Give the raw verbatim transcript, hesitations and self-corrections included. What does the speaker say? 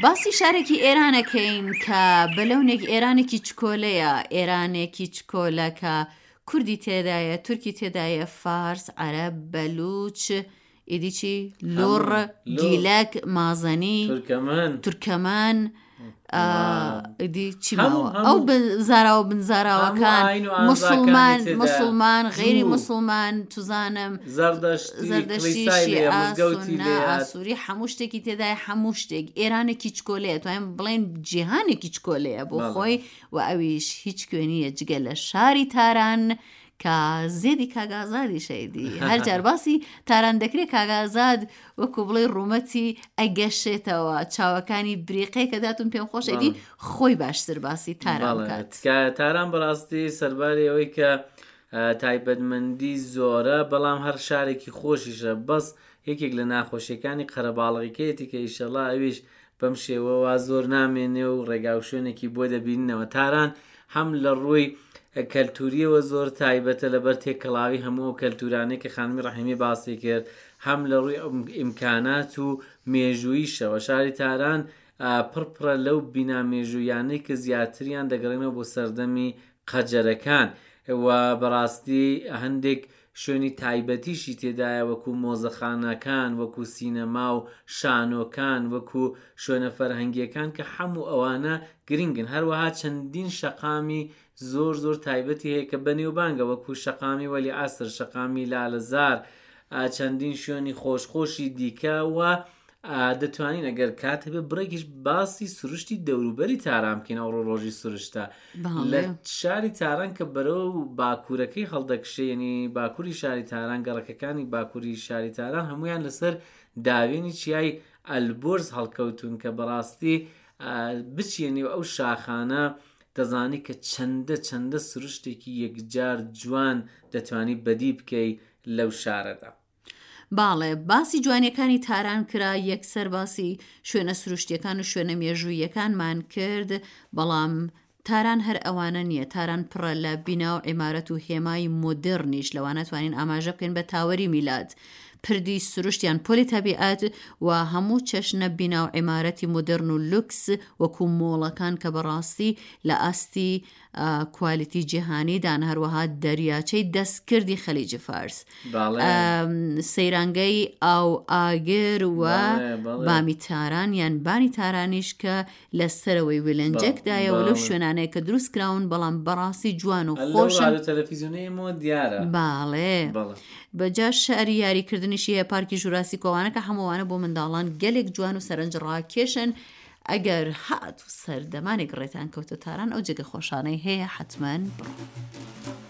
باسی شارێکی ئێرانەکەین کە بە لەونێک ئێرانێکی چکۆلەیە، ئێرانێکی چکۆلە کە کوردی تێدایە، تورکی تێدایە، فارس، عەرەب، بەلوچ، ئیدی چی؟ لوڕ، گیلەک، مازەنی، تورکەمەن، تورکەمەن، ئیدی چی ماوە؟ ئەو زاراوە بن زاراوەکان، موسڵمان، موسڵمان، غەیری موسڵمان، توزانم زەردەشتی، شیعە، سوننە، ئاسووری، هەموو شتێکی تێدایە، هەموو شتێک. ئێرانێکی چکۆلەیە، توانیم بڵێن جیهانێکی چکۆلەیە بۆ خۆی و ئەویش هیچ کوێ نییە جگە لە شاری تاران کە زێدی کاگازادی شەیدی. هەر جار باسی تاران دەکرێت کاگازاد وەکو بڵێ ڕوومەتی ئەگەشێتەوە، چاوەکانی بریقەیەکە داتون. پێم خۆشەدی خۆی باشتر باسی تاران بکات. تاران بەڕاستی سەرباری ئەوەی کە تایبەتمەندی زۆرە، بەڵام هەر شارێکی خۆشیشە. بەس یەکێک لە ناخۆشیەکانی قەرەباڵغیکەیەتی کە ئیشەڵا ئەویش بەم شێوەوە زۆر نامێنێ و ڕێگا و شوێنێکی بۆ دەبیننەوە. تاران هەم لە ڕووی کەلتوریەوە زۆر تایبەتە لەبەر تێکەڵاوی هەموو ئەو کەلتورانەی کە خانمی ڕەحیمی باسی کرد، هەم لە ڕووی ئیمکانات و مێژوویشەوە. شاری تاران پڕپڕە لەو بینا مێژوویانەی کە زیاتریان دەگەڕێنەوە بۆ سەردەمی قەجەرەکان و بەڕاستی هەندێک شوێنی تایبەتیشی تێدایە، وەکو مۆزەخانەکان، وەکو سینەما و شانۆکان، وەکو شوێنە فەرهەنگیەکان کە هەموو ئەوانە گرنگن. هەروەها چەندین شەقامی زۆر زۆر تایبەتی هەیە کە بەنێوبانگە، وەکو شەقامی وەلی عەسر، شەقامی لالەزار، چەندین شوێنی خۆشخۆشی دیکە. و دەتوانین ئەگەر کات هەبێ بڕێکیش باسی سروشتی دەوروبەری تاران بکەین. ئەوڕۆ ڕۆژی سروشتە لە شاری تاران کە بەرەو باکوورەکەی هەڵدەکشێ، یعنی باکووری شاری تاران، گەڕەکەکانی باکووری شاری تاران هەمویان لەسەر داوێنی چیای ئەلبورز هەڵکەوتون کە بەڕاستی بچیە نێو ئەو شاخانە دەزانی کە چەندە چەندە سروشتێکی یەکجار جوان دەتوانی بەدی بکەی لەو شارەدا. باڵێ، باسی جوانیەکانی تاران کرا، یەکسەر باسی شوێنە سروشتیەکان و شوێنە مێژوویەکانمان کرد، بەڵام تاران هەر ئەوانە نییە. تاران پڕە لە بینا و عیمارەت و هێمای مۆدێرنیش، لەوانە توانین ئاماژە بکەین بە تاوەری میلاد، پردی سروشتیان پۆلی تەبیعەت و هەموو چەشنە بینا و عیمارەتی مۆدێرن و لوکس وەکو مۆڵەکان کە بەڕاستی لە ئاستی کوالیتی جیهانیدان. هەروەها دەریاچەی دەستکردی خەلیجی فارس، سەیرانگەی ئاو ئاگر و بامی تاران یان بانی تارانیش کە لە سەرەوەی ویلنجێکدایە و لەو شوێنانەیە کە دروست کراون، بەڵام بەڕاستی جوان و خۆشن. باڵێ بەجا شاری یاریکردنیشی هەیە، پارکی ژوراسی کۆوانە کە هەمووانە بۆ منداڵان گەلێک جوان و سەرنج ڕاکێشن. ئەگەر هات و سەردەمانێک ڕێتان کەوتە تاران، ئەو جێگە خۆشانەی هەیە حتمما بڕۆن.